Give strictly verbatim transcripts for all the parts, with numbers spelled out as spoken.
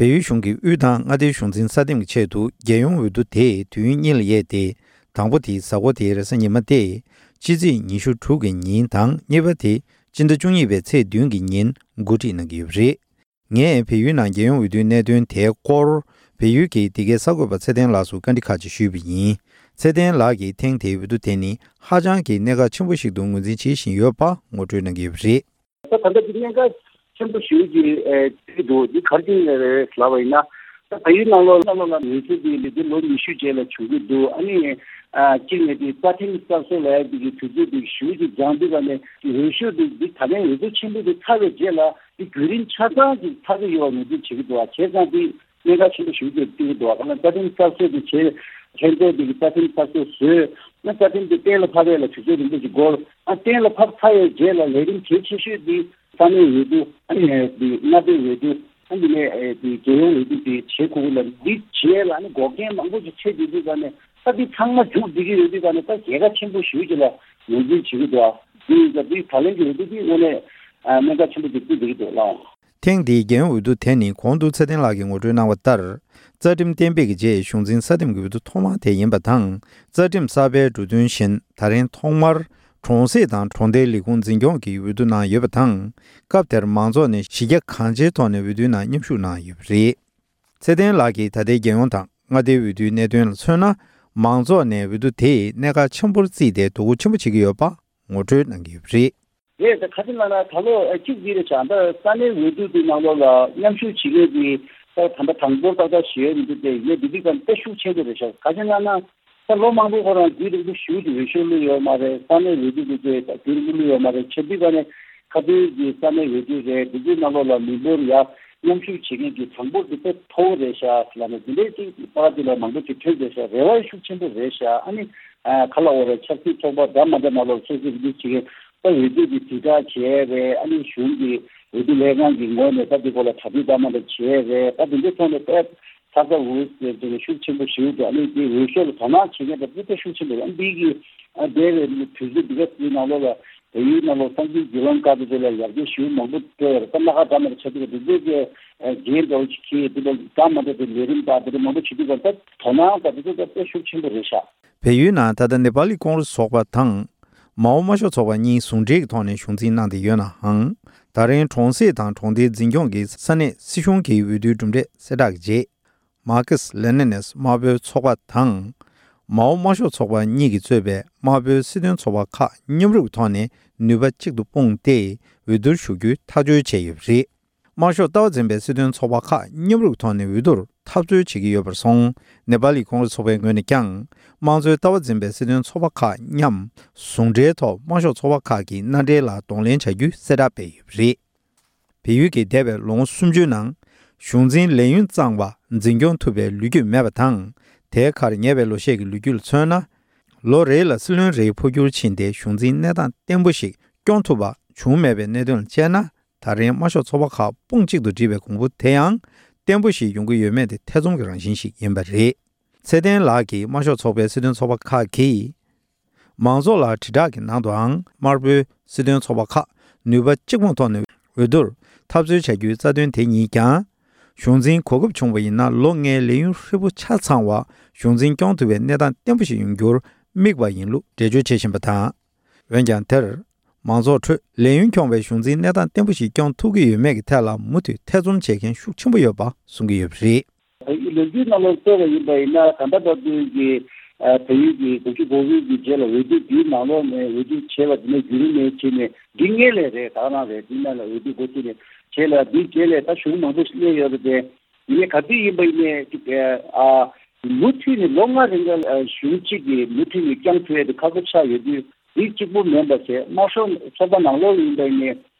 བལ་ཡུལ་གཞུང་གིས་དབུས་དང་མངའ་སྡེའི་གཞུང་འཛིན་ས་འདེམས་ཀྱི་ཆེད་དུ་རྒྱལ་ཡོངས་འོས་བསྡུ་དེ་དུས་ཡུན་གཉིས་ལ་དབྱེ་སྟེ། དང་པོ་དེ་གཟའ་འཁོར་དེའི་རེས་གཟའ་ཉི་མ་སྟེ། ཕྱི་ཚེས་ཉི་ཤུ་དྲུག་གི་ཉིན་དང་གཉིས་པ་དེ་སྤྱི་ཟླ་བཅུ་གཉིས་པའི་ཚེས་བདུན་གྱི་ཉིན་འགོ་ཁྲིད་གནང་གི་ཡོད་པ་རེད། ངས་བལ་ཡུལ་ནང་རྒྱལ་ཡོངས་འོས་བསྡུའི་གནད་དོན་དེའི་སྐོར་བལ་ཡུལ་གྱི་འདི་གའི་གསར་འགོད་པ་ཚེ་བརྟན་ལགས་སུ་བཀའ་འདྲི་ཁག་ཅིག་ཞུས་པ་ཡིན། ཚེ་བརྟན་ལགས་ཀྱིས་ཐེངས་དེའི་འོས་བསྡུ་དེ་ནི་ཧ་ཅང་གི་གནད་འགག་ཆེན་པོ་ཞིག་ཏུ་ངོས་འཛིན་བྱེད་བཞིན་ཡོད་པ་ངོ་སྤྲོད་གནང་གི་ཡོད་པ་རེད། ད་ད་ལྟ་འདི་གནད་འགག་ཆེན་པོ་ཞིག་གི་ཨེ་འདི་འདུག་འདི་ག་རེ་བྱས་རེད་ལབ་པ་ཡིན་ན། ད་བལ་ཡུལ་ནང་ལོགས་ནང་ལོགས་ལ་འོས་ཤོག་འདི་འདི་ལོ་ཉི་ཤུ་རྗེས་ལ་བྱུང་གི་འདུག་ཨ་ནི་ཨ་གཅིག་ནས་འདི་རྩ་ཁྲིམས་གསར་བཟོ་ལབ་ཡ་འདི་གི་དུས་ཚོད་འདི་ཞུ་གི་འགྱངས་དུས་ག་ནས་འོས་ཤོག་འདི་འདི་ད་ལན་འོས་བསྡུ་ཆེན་པོ་འདི་ཚར་བའི་རྗེས་ལ་འདི་བརྒྱུད་རིམ་ཆ་ཚང་ཅིག་ཚར་གི་ཡོད་པ་ངོས་འཛིན་བྱེད་ཀྱི་འདུག་ཨ་བྱས་ཙང་འདི་གནད་འགག་ཆེན་པོ་ཞིག་ཏུ་བརྩི་གི་འདུག་ཨ་ག་ལ་རྩ་ཁྲིམས་གསར་བཟོ་འདི་བྱས་ལྷན་ཚོགས་འདི་གི་རྩ་ཁྲིམས་གསར་བཟོ་བཟོས་ན་རྩ་ཁྲིམས་འདི་གཏན་ལ་ཕབ་ཡས་ལ་དུས་ཚོད་རིང་པོ་ཞིག་འགོར། ཨ་གཏན་ལ་ཕབ་ཚར་བའི་རྗེས་ལ་ལས་རིམ་གལ་ཆེ་ཤོས་འདི་ས་གནས་འོས་བསྡུ། ཨ་ནི་འདི་མངའ་སྡེ་འོས་བསྡུ། ཨ་འདི་ནས་ཨེ་འདི་རྒྱལ་ཡོངས་འོས་བསྡུ་འདི་བྱེད་དགོས་ཀྱི་ལ་འདི་བྱས་ལ་ཨ་ནི་འགོག་རྐྱེན་མང་པོ་ཞིག་འཕྲད་བསྡད་དུས་ཙང་ནས་ད་འདི་ཚང་མ་མཇུག་བསྒྲིལ་གྱི་ཡོད་དུས་ཙང་ནས་ད་རྒྱལ་ཁ་ཆེན་པོ་ཞེ་པོ་ཅིག་ལ་ངོས་འཛིན་བྱེད་ཀྱི་འདུག་ཨ་འདི་ཡིན་ཙང་འདི་ད་ལན་གྱི་འོས་བསྡུ་འདི་དངོས་གནས་ཨ་གནད་འགག་ཆེན་པོ་ཅིག་བརྩིས་བསྡད་ཀྱི་འདུག་ལགས། ཐེངས་འདིའི་རྒྱལ་ཡོངས་འོས་བསྡུ་དེ་ནི་གོང་དུ་ཚེ་བརྟན་ལགས་ཀྱིས་ངོ་སྤྲོད་གནང་བ་ལྟར། རྩ་ཁྲིམས་གཏན་འབེབས་ཀྱི་རྗེས་གཞུང་འཛིན་ས་འདེམས་ཀྱི་འོས་བསྡུ་ཐོག་མ་དེ་ཡིན་པ་དང་། རྩ་ཁྲིམས་གསར་པའི་འབྲུ་དོན་བཞིན་ད་རིང་ཐོག་མར་གྲོང་གསེབ་དང་གྲོང་སྡེའི་ལས་ཁུངས་འཛིན་སྐྱོང་གི་འོས་བསྡུ་གནང་ཡོད་པ་དང་། སྐབས་དེར་མང་ཚོགས་ནས་གཞི་རྒྱ་གང་ཆེའི་ཐོག་ནས་འོས་བསྡུའི་ནང་མཉམ་ཞུགས་གནང་ཡོད་པ་རེད། ཚེ་བརྟན་ལགས་ཀྱིས་ད་ལྟའི་རྒྱལ་ཡོངས་དང་མངའ་སྡེའི་འོས་བསྡུའི་གནད་དོན་ལ་མཚོན་ན། མང་ཚོགས་ནས་འོས་བསྡུ་དེས་གནད་འགག་ཆེན་པོར་བརྩིས་ཏེ་དོ་ཁུར་ཆེན་པོ་བྱེད་ཀྱི་ཡོད་པ་ངོ་སྤྲོད་གནང་གི་ཡོད་པ་རེད། རེད་ད་ག་ཅི་ལབ་ན་ད་ལོ་ཨ་གཅིག་འདི་རེད་བྱ་ད་ས་གནས་འོས་བསྡུ་དེ་ནང་ལོགས་ལ་མཉམ་ཞུགས་བྱེད་མཁན་གྱི་ད་ད་ལྟ་གྲངས་འབོར་ཏག་ཏག་ཞིག་ཡོད་མི་འདུག་སྟེ་ཡོད་འདི་འདི་ག་དཔེ་ཤུགས་ཆེན་པོ་རེད་ཤག་ག་ཅི་ལབ་ན་ད་ལོ་མང་པོ་ཁོ་རང་རྒྱུན་རིང་པོ་ཞུ་དེ་འོས་ཤོག་བླུགས་ཡོད་མ་རེད། ས་གནས་འོས་བསྡུ་དེ་ཚོས་རྒྱུན་རིང་པོ་བླུགས་ཡོད་མ་རེད། ཆབ་འདི་ག་ནས་ཁ་ཐུག་གི་ས་གནས་འོས་བསྡུ་རེད། འདི་ཚོའི་ནང་ལོགས་ལ་མི་འབོར་ཡ་མཉམ་ཞུགས་བྱེད་མཁན་གྱི་གྲངས་འབོར་དེ་དཔེ་མཐོ་བོ་རེད་ཤག་ལབ་ནས་འདི་འདྲའི་ཅིག་པར་དེ་ལ་མང་པོ་ཅིག་ཐོན་བསྡད་ཤག་རེ་བ་ཤུགས་ཆེན་པོ་རེད་ཤག་ཨ་ནི་ཨ་ག་ལ་འོ་རེད། ཆབ་སྲིད་ཚོགས་པ་འདྲ་མ་འདྲ་ནང་ལོགས་སོ་སོའི་རིགས་ཅིག་གིས་ད་འོས་བསྡུ་གི་དྲིལ་བསྒྲགས་བྱས་རེད། ཨ་ནི་གཞུང་གི་འོས་བསྡུ་ལྷན་ཁང་གི་ངོས་ནས་ད་འདི་སྐོར་ལ་གྲ་སྒྲིག་འདྲ་མ་འདྲ་བྱས་རེད། ད་འདི་འདྲའི་ཐོག་ནས་དཔེ་ཚ་ཚ་འུར་འུར་ཟེར་ནས་ཤུགས་ཆེན་པོ་ཞིག་འདུག་ཨ་ནི་འདི་འོས་ཤོག་ལ་དོ་སྣང་བྱེད་མཁན་དང་དཔེ་ཤུགས་ཆེན་པོ་རེད། ཨ་འདི་གི་ཨ་འདས་པའི་དུས་ཚོད་འདི་ག་ཚོའི་ནང་ལོགས་ལ་བལ་ཡུལ་ནང་ལོགས་སངས་རྒྱས་བརྒྱུད་ལམ་བཀའ་དེ་ཚོ་ལ་ཡར་རྒྱས་ཞེ་པོ་མང་པོ་འགྲོ་ཡོད་རེད། ད་སྣ་ཁ་འདྲ་མ་འདྲ་ཆགས་འདུག་ག་འདི་ཚོའི་གི་འགན་འདྲ་བོ་ཅིག་འཁྱེར་འདུག་ག་འདྲ་མ་འདྲ་དེ་ལས་རིམ་དང་དེ་འདྲ་མང་པོ་བྱེད་དུས་ཀ་ད་དོ་སྣང་དང་དེ་ཚོ་ད་དཔེ་ཤུགས་ཆེན་པོ་རེད་ཤག་བལ་ཡུལ་ནང་ད་ལྟ་ནེ་པ་ལི་ཀོང་རེས་ཚོགས་པ་དང་། མའོ་དམར་ཤོག་ཚོགས་པ་གཉིས་ཟུང་འབྲེལ་གྱི་ཐོག་ནས་གཞུང་འཛིན་གནང་བསྡད་ཡོད་ནའང་། ད་རིང་གྲོང་གསེབ་དང་གྲོང་སྡེའི་འཛིན་སྐྱོང་གི་ས་གནས་སྲིད་གཞུང་གི་འོས་བསྡུའི་གྲུབ་འབྲས་གསལ་བསྒྲགས་ཀྱི་རྗེས། མར་ཁེ་སི་ལེ་ནིན་ནས་དམར་པོའི་ཚོགས་པ་དང་། མའོ་དམར་ཤོག་ཚོགས་པ་གཉིས་ཀྱིས་གཙོས་པའི་དམར་པོའི་སྲིད་དོན་ཚོགས་པ་ཁག་མཉམ་རུབ་ཀྱི་ཐོག་ནས་ནུས་པ་གཅིག་ཏུ་སྤུངས་ཏེ་འོས་བསྡུར་ཞུགས་རྒྱུའི་ཐག་གཅོད་བྱས་ཡོད་པ་རེད། དམར་ཤོག་ལྟ་བ་འཛིན་པའི་སྲིད་དོན་ཚོགས་པ་ཁག་མཉམ་རུབ་ཀྱི་ཐོག་ནས་འོས་བསྡུར་འཐབ་རྩོད་བྱེད་ཀྱི་ཡོད་པར་སོང་། ནེ་པ་ལི་ཀོང་རེས་ཚོགས་པའི་ངོས་ནས་ཀྱང་། དམངས་གཙོའི་ལྟ་བ་འཛིན་པའི་སྲིད་དོན་ཚོགས་པ་ཁག་མཉམ་ཟུང་འབྲེལ་ཐོག་དམར་ཤོག་ཚོགས་པ་ཁག་གི་མནའ་འབྲེལ་ལ་གདོང་ལེན་བྱ་རྒྱུའི་གསལ་བསྒྲགས་སྤེལ་ཡོད་པ་རེད། བལ་ཡུལ་གྱི་འདས་པའི་ལོ་ངོ་སུམ་ཅུའི་ནང་། གཞུང་འཛིན་ལས་ཡུན་གཙང་བ་འཛིན་སྐྱོང་ཐུབ་པའི་ལོ་རྒྱུས་མེད་པ་དང་། དེའི་ཁར་ཉེ་བའི་ལོ་ཤས་ཀྱི་ལོ་རྒྱུས་ལ་མཚོན་ན། ལོ་རེ་ལ་སྲིད་བློན་རེའི་འཕོ་འགྱུར་ཕྱིན་ཏེ་གཞུང་འཛིན་གནས་སྟངས་བརྟན་པོ་ཞིག་སྐྱོང་ཐུབ་པ་བྱུང་མེད་པའི་གནད་དོན་ལ་དཔྱད་ན། ད་རིང་དམར་ཤོག་ཚོགས་པ་ཁག་དཔུང་གཅིག་ཏུ་སྒྲིལ་བའི་གོང་བུ་དེ་ཡང་བརྟན་པོ་ཞིག་ཡོང་གི་ཡོད་མེད་དེ་ཐེ་ཚོམ་གྱི་རང་བཞིན་ཞིག་ཡིན་པ་རེད། ཚེ་བརྟན་ལགས་ཀྱིས་དམར་ཤོག་ཚོགས་པའི་སྲིད་དོན་ཚོགས་པ་ཁག་གིས། མང་ཚོགས་ལ་དྲིལ་བསྒྲགས་ཀྱི་ནང་དུའང་དམར་པོའི་སྲིད་དོན་ཚོགས་པ་ཁག་ནུས་པ་གཅིག་པུའི་ཐོག་ནས་འོས་བསྡུར་འཐབ་རྩོད་བྱ་རྒྱུའི་རྩ་དོན་དེ་ཉིད་ཀྱང་། གཞུང་འཛིན་གོ་སྐབས་བྱུང་བ་ཡིན་ན་ལོ་ལྔའི་ལས་ཡུན་ཧྲིལ་པོ་ཆ་ཚང་བ་གཞུང་འཛིན་སྐྱོང་ཐུབ་པའི་གནས་སྟངས་བརྟན་པོ་ཞིག་ཡོང་རྒྱུར་དམིགས་པ་ཡིན་ལུགས་འགྲེལ་བརྗོད་བྱེད་བཞིན་པ་དང་། འོན་ཀྱང་དེར། མང་ཚོགས་ཁྲོད་ལས་ཡུན་འཁྱོངས་པའི་གཞུང་འཛིན་གནས་སྟངས་བརྟན་པོ་ཞིག་སྐྱོང་ཐུབ་ཀྱི་ཡོད་མེད་ཀྱི་ཐད་ལ་མུ་མཐུད་ཐེ་ཚོམ་བྱེད་མཁན་ཤུགས་ཆེན་པོ་ཡོད་པ་གསུང་གི་ཡོད་པ་རེད། ལོ་རྒྱུས་ནང་ལོགས་བལྟས་པ་ཡིན་པ་ཡིན་ན་ད་ལྟ་བར་དུ་གི་བལ་ཡུལ་གྱི་དགུ་བཅུ་གོ་དགུ་གི་རྗེས་ལ་འོས་བསྡུ་འདིའི་ནང་ལོགས་ནས་འོས་བསྡུ་བྱས་པ་འདི་ནས་བརྒྱུད་རིམ་ནས་བྱས་ནས་འདི་སྔས་ལས་རེད། ད་ག་རང་རེད། འདི་ནང་ལ་འོས་བསྡུ་འགོ་བཙུགས་ནས་བྱས་ལ་འདིའི་རྗེས་ལས་ད་གཞུང་མང་པོ་ཞིག་སླེབས་ཡོད་རེད་དེ། ཡིན་ནའི་ག་དུས་ཡིན་པ་ཡིན་ནའི་ཅིག་ཨ་མུ་མཐུད་ནས་ལོ་ལྔ་རིང་ལ་གཞུང་གཅིག་གིས་མུ་མཐུད་ནས་བསྐྱངས་ཐུབ་ཡ་དེ་ཁག་པོ་ཆགས་ཡོད་དུས། འདི་གཅིག་པུ་མིན་པ་བྱས་དམར་ཤོག་ཚོགས་པ་ནང་ལོགས་ཡིན་པ་ཡིན་ནའི་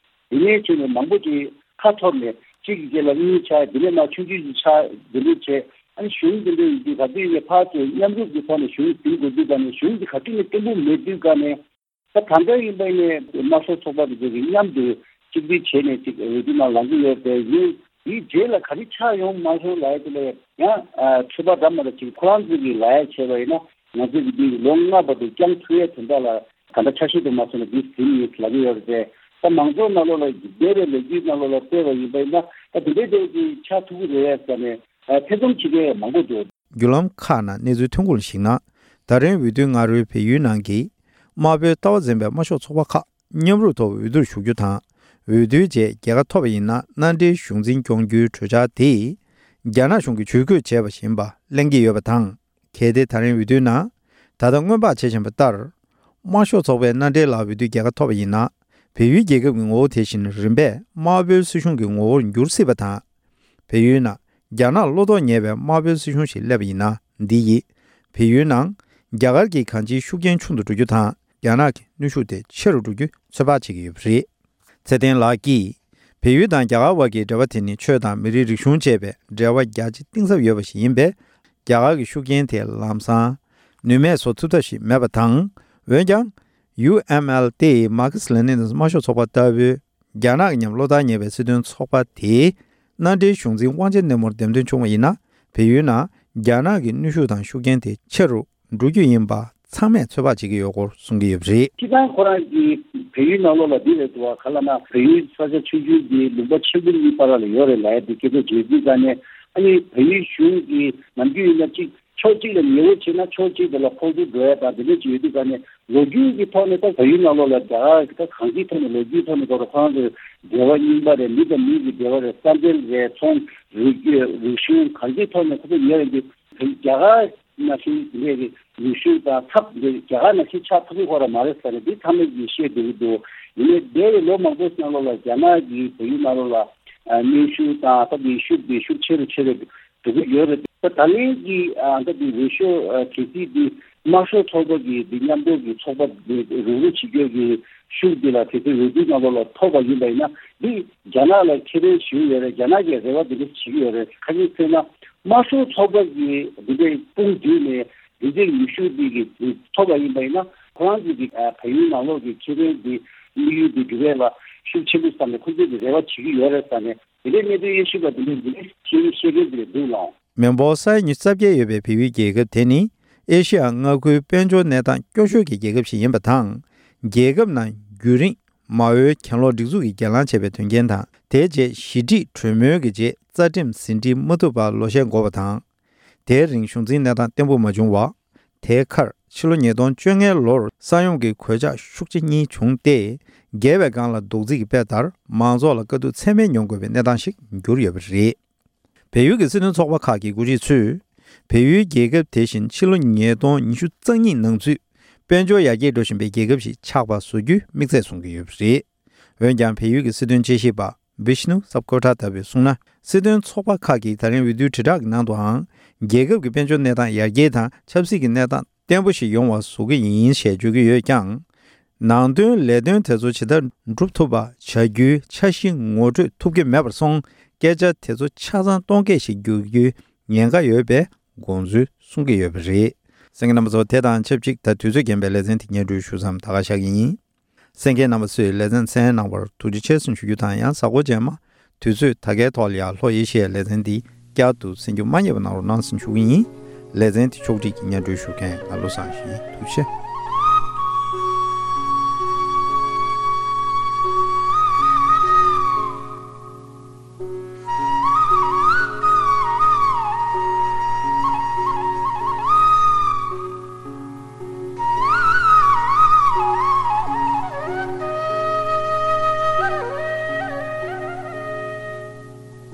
དེ་ནས་བྱས་ནས་མང་པོ་ཅིག་ཁ་འཐོར་ནས་གཅིག་གི་རྗེས་ལ་གཉིས་ཆགས། དེ་ནས་མར་ཆུང་ཆུང་ཅིག་ཆགས། དེ་འདྲ་བྱས་ཨ་ནི་གཞུང་དེ་འདྲ་ཡིན་དུས་ག་དུས་ཡིན་ནའི་ཕར་ཚུར་མཉམ་རུབ་ཀྱི་ཐོག་ནས་གཞུང་འཛིན་དགོས་དུས་ག་ནས་གཞུང་འདི་ག་དུས་ནས་བརྟན་པོ་མེད་དུས་ག་ནས། ད་ད་ལྟ་ཡིན་པ་ཡིན་ནའི་དམར་ཤོག་ཚོགས་པ་དེ་ཚོ་གིས་མཉམ་དུ་གཅིག་སྒྲིལ་བྱས་ནས་ཅིག་འོས་བསྡུ་ནང་ལངས་ཀྱི་ཡོད་པས་ཡིན། དེའི་རྗེས་ལ་ག་རེ་ཆགས་ཡོང་མ་སོང་ལབ་ཡ་དེ་ལ་ཡང་ཨ་འཕྲོས་པ་འདྲ་མ་འདྲ་ཅིག་ཁོ་རང་ཚོ་གིས་ལབ་ཡ་བྱས་པ་ཡིན་ན་ང་ཚོ་གིས་འདི་ལོ་ལྔ་བར་དུ་བསྐྱངས་ཐུབ་ཡ་དོན་དག་ལ་ག་འདྲ་ཆ་ཤས་དུ་མ་སོང་ན་འདི་ཟིན་ཡོད་ལབ་ཀྱི་ཡོད་རེད་དེ། ད་མང་ཚོགས་ནང་ལོགས་ལ་འདས་པའི་ལོ་རྒྱུས་ནང་ལོགས་ལ་བལྟས་པ་ཡིན་པ་ཡིན་ན་ད་དེ་འདྲའི་འདྲ་ཅིག་ཆགས་ཐུབ་ཀྱི་རེད་ཟེར་ནས་ཨ་ཐེ་ཚོམ་བྱེད་མཁན་མང་པོ་འདུག། བརྒྱུད་ལམ་ཁག་ནང་གནས་ཚུལ་ཐོན་ཁུངས་ལ་གཞིགས་ན། ད་རིང་འོས་བསྡུའི་སྔ་དྲོའི་བལ་ཡུལ་ནང་གི་དམར་པོའི་ལྟ་བ་འཛིན་པའི་དམར་ཤོག་ཚོགས་པ་ཁག་མཉམ་རུབ་ཐོག་འོས་བསྡུར་ཞུགས་རྒྱུ་དང་། འོས་བསྡུའི་རྗེས་རྒྱལ་ཁ་ཐོབ་པ་ཡིན་ན་མནའ་འབྲེལ་གཞུང་འཛིན་སྐྱོང་རྒྱུའི་གྲོས་འཆར་དེ་རྒྱ་ནག་གཞུང་གིས་ཇུས་འགོད་བྱས་པ་བཞིན་པ་གླེང་གི་ཡོད་པ་དང་། གལ་ཏེ་ད་རིང་འོས་བསྡུའི་ནང་ད་ལྟ་སྔོན་དཔག་བྱེད་བཞིན་པ་ལྟར། དམར་ཤོག་ཚོགས་པའི་མནའ་འབྲེལ་ལ་འོས་བསྡུའི་རྒྱལ་ཁ་ཐོབ་པ་ཡིན་ན། བལ་ཡུལ་རྒྱལ་ཁབ་ཀྱི་ངོ་བོ་དེ་བཞིན་རིམ་པས་དམར་པོའི་སྲིད་གཞུང་གི་ངོ་བོར་འགྱུར་སྲིད་པ་དང་། བལ་ཡུལ་ནང་རྒྱ་ནག་བློ་དོགས་ཉེས་པའི་དམར་པོའི་སྲིད་གཞུང་ཞིག་སླེབས་པ་ཡིན་ན། འདི་ཡིས་བལ་ཡུལ་ནང་རྒྱ་གར་གྱི་གང་ཅིའི་ཤུགས་རྐྱེན་ཆུང་དུ་འགྲོ་རྒྱུ་དང་། རྒྱ་ནག་གི་གནོན་ཤུགས་དེ་ཆེ་རུ་འགྲོ་རྒྱུའི་ཚོད་དཔག་བྱེད་ཀྱི་ཡོད་པ་རེད། ཚེ་བརྟན་ལགས་ཀྱིས། བལ་ཡུལ་དང་རྒྱ་གར་དབར་གྱི་འབྲེལ་བ་དེ་ནི་ཆོས་དང་མི་རིགས་རིག་གཞུང་བཅས་པའི་འབྲེལ་བ་རྒྱ་ཆེ་གཏིང་ཟབ་ཡོད་པ་ཞིག་ཡིན་པས། རྒྱ་གར་གྱི་ཤུགས་རྐྱེན་དེ་ལམ་སང་ནུས་མེད་བཟོ་ཐུབ་ཐབས་ཤིག་མེད་པ་དང་། འོན་ཀྱང་། ཡུ་ཨེམ་ཨེལ་སྟེ་མར་ཁེ་སི་ལེ་ནིན་དང་དམར་ཤོག་ཚོགས་པ་ལྟ་བུའི་རྒྱ་ནག་གི་མཉམ་བློ་ཐག་ཉེ་བའི་སྲིད་དོན་ཚོགས་པ་དེའི་མནའ་འབྲེལ་གཞུང་འཛིན་དབང་ཆེན་སྣེ་མོར་འདེམས་ཐོན་བྱུང་བ་ཡིན་ན། བལ་ཡུལ་ནང་རྒྱ་ནག་གི་གནོན་ཤུགས་དང་ཤུགས་རྐྱེན་དེ་ཆེ་རུ་འགྲོ་རྒྱུ་ཡིན་པ་ཚང་མས་ཚོད་དཔག་བྱེད་ཀྱི་ཡོད་སྐོར་གསུང་གི་ཡོད་པ་རེད། སྤྱིར་བཏང་ཁོ་རང་གི་བལ་ཡུལ་ནང་ལོགས་ལ་འདི་རེད་འདུག་བ། ག་ལ་ན་བལ་ཡུལ་ས་ཆ་ཆུང་ཆུང་འདི་ལུང་པ་ཆེན་པོ་གཉིས་བར་ལ་ཡོད་རེད་ལབ་ཡ་འདི་སྐད་ཆ་བརྗོད་དུས་ཙང་ནས་ཨ་ནི་བལ་ཡུལ་གཞུང་གི་ནམ་རྒྱུན་ཡིན་ན་གཅིག་ཕྱོགས་གཅིག་ལ་ཉེ་བོ་བྱས་ན་ཕྱོགས་གཅིག་དེ་ལ་ཕོག་ཐུག་འགྲོ་ཡ་དང་འདི་འདྲ་ཅིག་ཡོད་དུས་ཙང་ནས་ལོ་རྒྱུས་ཀྱི་ཐོག་ནས་ད་བལ་ཡུལ་ནང་ལོགས་ལ་རྒྱ་གར་གྱི་ད་གང་ཅིའི་ཐོག་ནས་ལོ་རྒྱུས་ཐོག་ནས་ཁོ་རང་ཚོ་འབྲེལ་བ་རྙིང་པ་རེད། མི་དང་མི་གི་འབྲེལ་བ་རེད། ས་འབྲེལ་རེད། ཚོང་རིག་རིག་གཞུང་གང་ཅིའི་ཐོག་ནས་ཁོ་ཚོ་ཉེ་རེད་འདུག། རྒྱ་གར་ནང་བཞིན་དེ་འདྲའི་ནུས་ཤུགས་དང་ཐབས་འདི་རྒྱ་གར་ནང་བཞིན་ཆགས་ཐུབ་ཀྱི་ཁོ་ར་མ་རེད་ཟེར་ནས་འདི་ཚང་མས་ཀྱིས་བཤད་བསྡད་ཀྱི་འདུག། ཡིན་ནའི་འདས་པའི་ལོ་མང་པོའི་ནང་ལོགས་ལ་རྒྱ་ནག་གིས་བལ་ཡུལ་ནང་ལོགས་ལ་གནོན་ཤུགས་དང་ད་འདི་ཤུགས་འདི་ཤུགས་ཆེ་རུ་ཆེ་རུ་འགྲོ་གི་ཡོད་རེད། ད་ད་ལན་གྱི་ད་འདི་འོས་ཤོག་གལ་སྲིད་འདི་དམར་ཤོག་ཚོགས་པ་གི་འདི་མཉམ་འབྲེལ་གྱི་ཚོགས་པ་འདི་རུག་རུག་བྱེད་རྒྱུ་གི་ཤུགས་འདི་ལ་དེ་ཚོའི་འོས་བསྡུ་ནང་ལོགས་ལ་ཐོབ་པ་ཡིན་པ་ཡིན་ན་འདི་རྒྱ་ནག་ལ་ཁེ་ཕན་ཞིག་ཡོད་རེད། རྒྱ་ནག་གིས་རེ་བ་འདི་འདྲ་བྱེད་ཀྱི་ཡོད་རེད། ཁ་ཤས་བྱས་ན་དམར་ཤོག་ཚོགས་པ་གིས་འདི་འདྲའི་དཔུང་བསྡུས་ནས་འདི་འདྲའི་ནུས་ཤུགས་འདི་གི་འདི་ཐོབ་པ་ཡིན་པ་ཡིན་ན་ཁོ་རང་ཚོ་གི་ཨ་བལ་ཡུལ་ནང་ལོགས་ཀྱི་ཁེ་ཕན་འདི་དམིགས་ཡུལ་འདི་འགྲུབ་ཡས་ལ་ཤུགས་ཆེན་པོ་བསམ་ནས་ཁོ་ཚོས་འདི་རེ་བ་བྱེད་ཀྱི་ཡོད་རེད་བསམ་ནས་འདི་འདྲའི་གནད་དོན་དབྱེ་ཞིབ་པ་འདི་འདྲའི་འདི་འདྲའི་ཤེས་ཤེས་མཁན་འདི་འདྲ་འདུག་ལགས། མི་འབོར་ས་ཡ་ཉི་ཤུ་རྩ་བརྒྱད་ཡོད་པའི་བལ་ཡུལ་རྒྱལ་ཁབ་དེ་ནི་ཨེ་ཤི་ཡ་མངའ་ཁུལ་དཔལ་འབྱོར་གནས་སྟངས་སྐྱོ་ཤོས་ཀྱི་རྒྱལ་ཁབ་ཞིག་ཡིན་པ་དང་། རྒྱལ་ཁབ་ནང་རྒྱུན་རིང་མ་འོངས་གྱེན་ལོག་སྒྲིག་འཛུགས་ཀྱིས་གྱེན་ལངས་བྱས་པའི་དོན་རྐྱེན་དང་། དེའི་རྗེས་ཞི་འགྲིག་གྲོས་མོལ་གྱི་རྗེས་རྩ་ཁྲིམས་ཟིན་བྲིས་མ་ཐུབ་པར་ལོ་ཤས་འགོར་བ་དང་། དེའི་རིང་གཞུང་འཛིན་གནས་སྟངས་བརྟན་པོ་མ་བྱུང་བ། དེའི་ཁར་ཕྱི་ལོ་ཉིས་སྟོང་བཅོ་ལྔའི་ལོར་ས་ཡོམ་གྱི་གོད་ཆག་ཤུགས་ཆེ་གཉིས་བྱུང་སྟེ། བརྒལ་བའི་སྒང་ལ་རྡོག་རྫིས་ཀྱི་དཔེ་ལྟར་མང་ཚོགས་ལ་དཀའ་སྡུག་ཚད་མེད་མྱོང་དགོས་པའི་གནས་སྟངས་ཤིག་གྱུར་ཡོད་པ་རེད། བལ་ཡུལ་གྱི་སྲིད་དོན་ཚོགས་པ་ཁག་གི་འགོ་ཁྲིད་ཚོས། བལ་ཡུལ་རྒྱལ་ཁབ་དེ་བཞིན་ཕྱི་ལོ་ཉིས་སྟོང་ཉི་ཤུ་རྩ་གཉིས་ནང་ཚུད་དཔལ་འབྱོར་ཡར་རྒྱས་འགྲོ་བཞིན་པའི་རྒྱལ་ཁབ་ཞིག་ཆགས་པ་བཟོ་རྒྱུའི་དམིགས་ཚད་བཟུང་གི་ཡོད་པ་རེད། འོན་ཀྱང་། བལ་ཡུལ་གྱི་སྲིད་དོན་དཔྱད་ཞིབ་པ་བིཤ་ནུ་སབ་ཀོ་ཐ་ལྟ་བུས་གསུངས་ན། སྲིད་དོན་ཚོགས་པ་ཁག་གིས་ད་རིང་འོས་བསྡུའི་དྲིལ་བསྒྲགས་ཀྱི་ནང་དུའང་། རྒྱལ་ཁབ་ཀྱི་དཔལ་འབྱོར་གནས་སྟངས་ཡར་རྒྱས་དང་ཆབ་སྲིད་ཀྱི་གནས་སྟངས་བརྟན་པོ་ཞིག་ཡོང་བ་བཟོ་གི་ཡིན་ཞེས་བརྗོད་ཀྱི་ཡོད་ཀྱང་། ནང་དོན་ལས་དོན་དེ་ཚོ་ཇི་ལྟར་འགྲུབ་ཐུབ་པ་བྱ་རྒྱུའི་འཆར་གཞི་ངོ་སྤྲོད་ཐུབ་ཀྱི་མེད་པར་སོང་། སྐད་ཆ་དེ་ཚོ་ཆ་ཚང་སྟོང་སྐད་ཞིག་བསྒྱུར་རྒྱུའི་ཉེན་ཁ་ཡོད་པའི་དགོངས་ཚུལ་གསུང་གི་ཡོད་པ་རེད། གསན་མཁན་རྣམ་པ་ཚོ། དེ་དང་ཆབས་ཅིག་ད་དུས་ཚོད་རྐྱེན་པས་ལེ་ཚན་དེ་སྙན་སྒྲོན་ཞུ་མཚམས་ད་ག་བཞག་གི་ཡིན། གསན་མཁན་རྣམ་པ་ཚོས་ལེ་ཚན་གསན་གནང་བར་ཐུགས་རྗེ་ཆེ་ཟེར་ཞུ་རྒྱུ་དང་། ཡང་གཟའ་འཁོར་རྗེས་མ་དུས་ཚོད་ད་གའི་ཐོག་ལ་ཡར་ལྷོ་ཨེ་ཤི་ཡའི་ལེ་ཚན་འདི་བསྐྱར་དུ་གསན་རྒྱུ་མ་བསྙེལ་བ་གནང་རོགས་གནང་ཟེར་ཞུ་གི་ཡིན། ལེ་ཚན་འདི་ཕྱོགས་སྒྲིག་གིས་སྙན་སྒྲོན་ཞུ་མཁན་ང་བློ་བཟང་ཡིན། ཐུགས་རྗེ་ཆེ།